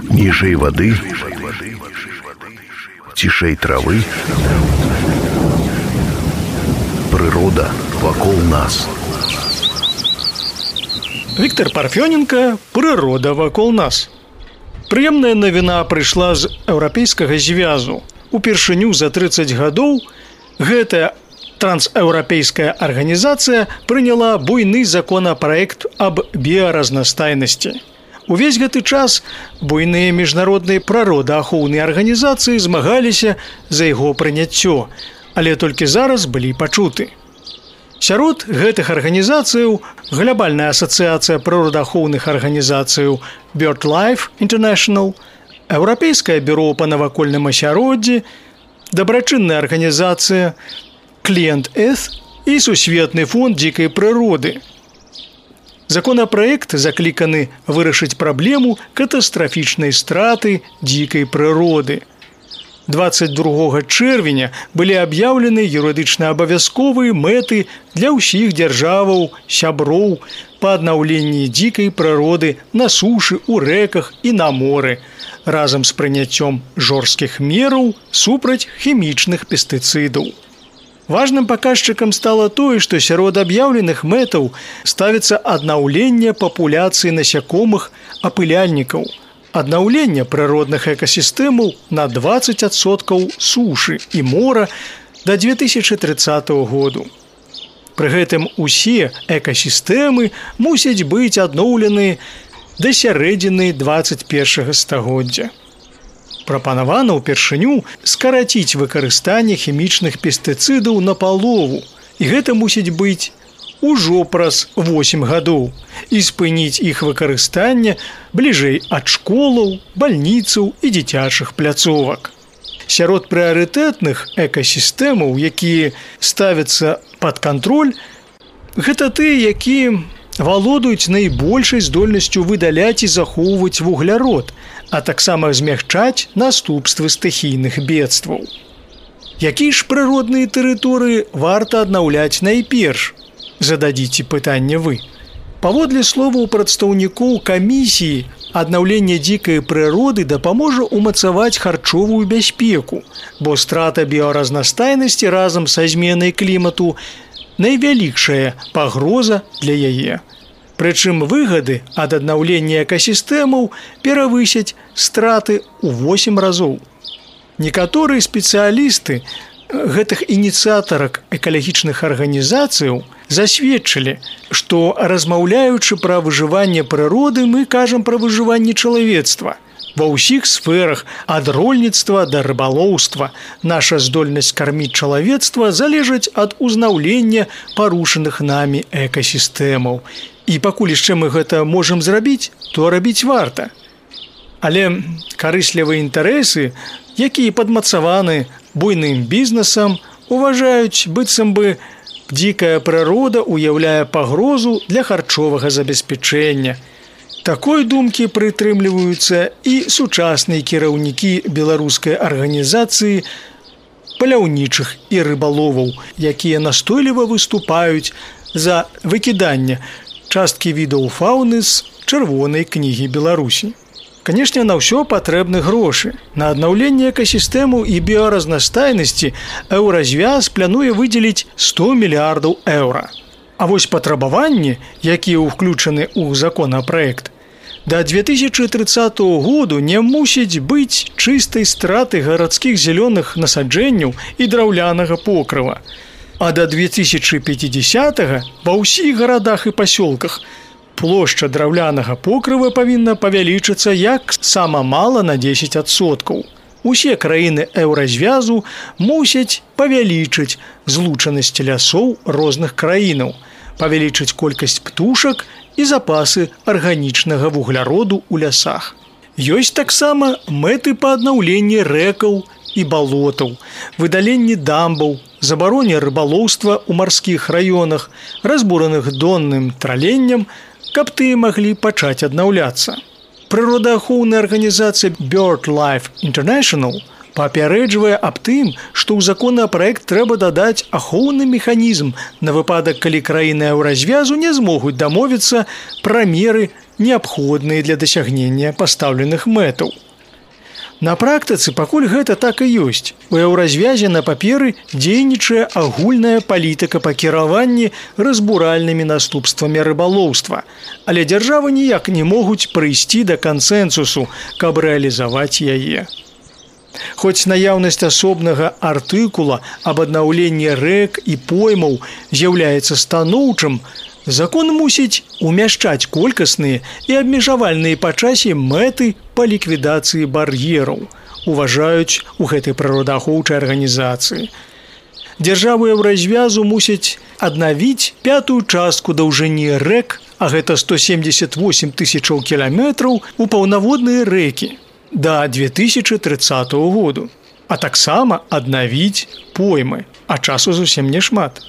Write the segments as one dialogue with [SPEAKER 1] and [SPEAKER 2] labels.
[SPEAKER 1] Ніжэй вады, цішэй травы, прырода вакол нас.
[SPEAKER 2] Віктор Парфёненко, «Прырода вакол нас». Прыемная навіна прыйшла з еўрапейскага звязу. Упершыню за 30 гадоў гэтая трансеўрапейская арганізацыя прыняла буйны законапраект аб біяразнастайнасці. Увесь гэты час буйныя міжнародныя прыродаахоўныя арганізацыі змагаліся за яго прыняццё, але толькі зараз былі пачуты. Сярод гэтых арганізацыяў глобальная асацыяцыя прыродаахоўных арганізацыяў BirdLife International, Еўрапейскае бюро па навакольным асяроддзі, дабрачынная арганізацыя Кліент Эс і Сусветны фонд дзікай прыроды. Законапраект закліканы вырашыць праблему катастрафічнай страты дзікай прыроды. 22 чэрвеня былі аб'яўлены юрыдычна абавязковыя мэты для ўсіх дзяржаваў, сяброў па аднаўленні дзікай прыроды на сушы, у рэках і на моры, разам з прыняццём жорсткіх мераў супраць хімічных пестыцыдаў. Важным паказчыкам стала тое, што сярод аб'яўленых мэтаў ставіцца аднаўленне папуляцыі насякомых апыляльнікаў, аднаўленне прыродных экасістэмаў на 20% сушы і мора да 2030 году. Пры гэтым усе экасістэмы мусяць быць адноўлены да сярэдзіны 21 стагоддзя. Прапанавана ўпершыню скараціць выкарыстанне хімічных пестыцыдаў напалову, і гэта мусіць быць ужо праз 8 гадоў, і спыніць іх выкарыстанне бліжэй ад школаў, бальніцаў і дзіцячых пляцовак. Сярод прыярытэтных экасістэмаў, якія ставяцца пад кантроль, гэта тыя, якія валодаюць найбольшай здольнасцю выдаляць і захоўваць вуглярод, а таксама змягчаць наступствы стыхійных бедстваў. Якія ж прыродныя тэрыторыі варта аднаўляць найперш? Зададзіце пытанне вы. Паводле словаў прадстаўнікоў камісіі, аднаўленне дзікай прыроды дапаможа ўмацаваць харчовую бяспеку, бо страта біяразнастайнасці разам са зменай клімату найвялікшая пагроза для яе. Прычым выгады ад аднаўлення экасістэмаў перавысяць страты ў 8 разоў. Некаторыя спецыялісты гэтых ініцыятарак экалагічных арганізацыяў засведчылі, што, размаўляючы пра выжыванне прыроды, мы кажам пра выжыванне чалавецтва. Ва ўсіх сферах ад рольніцтва да рыбалоўства наша здольнасць карміць чалавецтва залежыць ад узнаўлення парушаных намі экасістэмаў. І пакуль яшчэ мы гэта можам зрабіць, то рабіць варта. Але карыслівыя інтарэсы, якія падмацаваны буйным бізнесам, уважаюць, быццам бы дзікая прырода ўяўляе пагрозу для харчовага забеспячэння. Такой думкі прытрымліваюцца і сучасныя кіраўнікі беларускай арганізацыі паляўнічых і рыбаловаў, якія настойліва выступаюць за выкіданне часткі відаў фауны з чырвонай кнігі Беларусі. Канешне, на ўсё патрэбны грошы. На аднаўленне экасістэмаў і біяразнастайнасці еўразвяз плануе выдзеліць 100 мільярдаў еўра. А вось патрабаванні, якія ўключаны ў законапраект, да 2030 году не мусіць быць чыстай страты гарадскіх зялёных насаджэнняў і драўлянага покрыва. А да 2050-го ва ўсіх гарадах і пасёлках плошча драўлянага покрыва павінна павялічыцца як сама мала на 10%. Усе краіны еўразвязу мусяць павялічыць злучанасць лясоў розных краінаў, павялічыць колькасць птушак і запасы арганічнага вугляроду ў лясах. Ёсць таксама мэты па аднаўленні рэкаў і балотаў, выдаленні дамбаў, забароне рыбалоўства ў марскіх раёнах, разбураных донным траленнем, каб тыя маглі пачаць аднаўляцца. Прыродаахоўная арганізацыя BirdLife International папярэджвае аб тым, што ў законапраект трэба дадаць ахоўны механізм на выпадак, калі краіны еўразвязу не змогуць дамовіцца пра меры, неабходныя для дасягнення пастаўленых мэтаў. На практыцы пакуль гэта так і ёсць. У еўразвязе на паперы дзейнічае агульная палітыка па кіраванні разбуральнымі наступствамі рыбалоўства, але дзяржавы ніяк не могуць прыйсці да кансэнсусу, каб рэалізаваць яе. Хоць наяўнасць асобнага артыкула аб аднаўленні рэк і поймаў з'яўляецца станоўчым, закон мусіць умяшчаць колькасныя і абмежавальныя па часе мэты па ліквідацыі бар'ераў, уважаюць у гэтай прыродаахоўчай арганізацыі. Дзяржавы еўразвязу мусяць аднавіць 5-ю частку даўжыні рэк, а гэта 178 тысячаў кіламетраў, у паўнаводныя рэкі да 2030 году, а таксама аднавіць поймы, а часу зусім не шмат.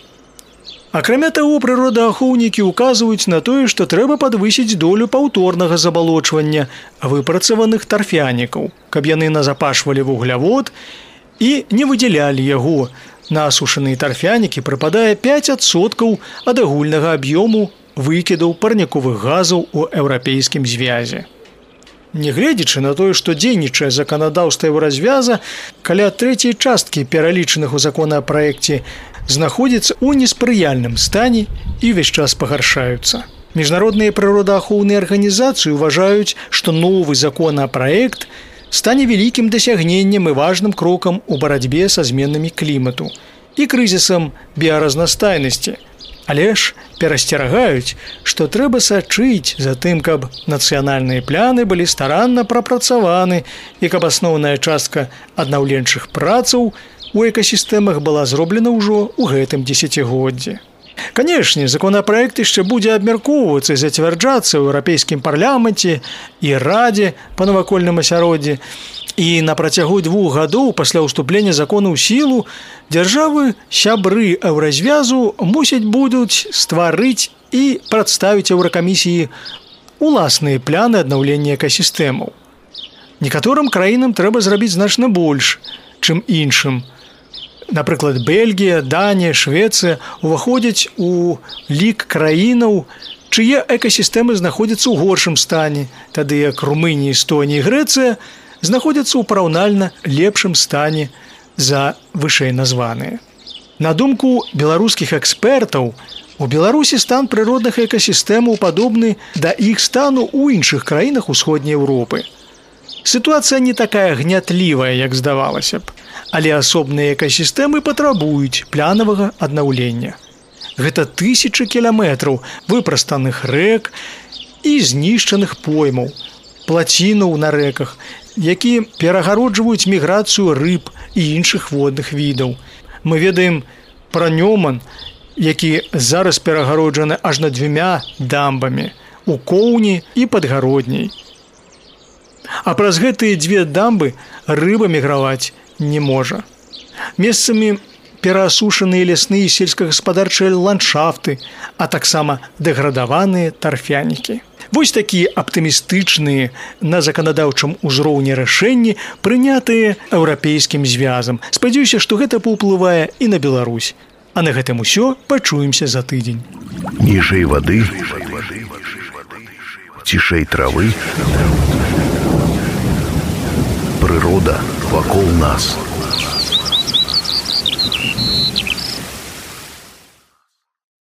[SPEAKER 2] Акрамя таго, прыродаахоўнікі ўказваюць на тое, што трэба падвысіць долю паўторнага забалочвання выпрацаваных тарфянікаў, каб яны назапашвалі вуглявод і не выдзялялі яго. На асушаныя тарфянікі прыпадае 5% ад агульнага аб'ёму выкідаў парніковых газаў у Еўрапейскім звязе. Нягледзячы на тое, што дзейнічае заканадаўства еўразвяза, каля трэцяй часткі пералічаных у законапраекце знаходзіцца ў неспрыяльным стане і ўвесь час пагаршаюцца. Міжнародныя прыродаахоўныя арганізацыі ўважаюць, што новы законапраект стане вялікім дасягненнем і важным крокам у барацьбе са зменамі клімату і крызісам біяразнастайнасці. Але ж перасцерагаюць, што трэба сачыць за тым, каб нацыянальныя пляны былі старанна прапрацаваны і каб асноўная частка аднаўленчых працаў у экасістэмах была зроблена ўжо ў гэтым дзесяцігоддзі. Канешне, законапраект яшчэ будзе абмяркоўвацца і зацвярджацца ў Еўрапейскім парламенце і Радзе па навакольным асяроддзі. І на працягу 2 гадоў пасля ўступлення закону ў сілу дзяржавы-сябры еўразвязу мусяць будуць стварыць і прадставіць Еўракамісіі уласныя пляны аднаўлення экасістэмаў. Некаторым краінам трэба зрабіць значна больш, чым іншым. Напрыклад, Бельгія, Данія, Швецыя уваходзяць у лік краінаў, чые экасістэмы знаходзяцца ў горшым стане, тады як Румынія, Эстонія і Грэцыя знаходзяцца ў параўнальна лепшым стане за вышэй названыя. На думку беларускіх экспертаў, у Беларусі стан прыродных экасістэмаў падобны да іх стану ў іншых краінах Усходняй Еўропы. Сітуацыя не такая гнятлівая, як здавалася б, але асобныя экасістэмы патрабуюць планавага аднаўлення. Гэта тысячы кіламетраў выпрастаных рэк і знішчаных поймаў, плацінаў на рэках, які перагароджваюць міграцыю рыб і іншых водных відаў. Мы ведаем пра Нёман, які зараз перагароджаны аж над 2 дамбамі у Коўні і Падгародняй. А праз гэтыя 2 дамбы рыба міграваць не можа. Месцамі пераасушаныя лясныя і сельскагаспадарчыя ландшафты, а таксама дэградаваныя тарфянікі. Вось такія аптымістычныя на заканадаўчым узроўні рашэнні, прынятыя Еўрапейскім звязам. Спадзяюся, што гэта паўплывае і на Беларусь. А на гэтым усё, пачуемся за тыдзень.
[SPEAKER 1] Ніжэй вады, цішэй травы, прырода вакол нас.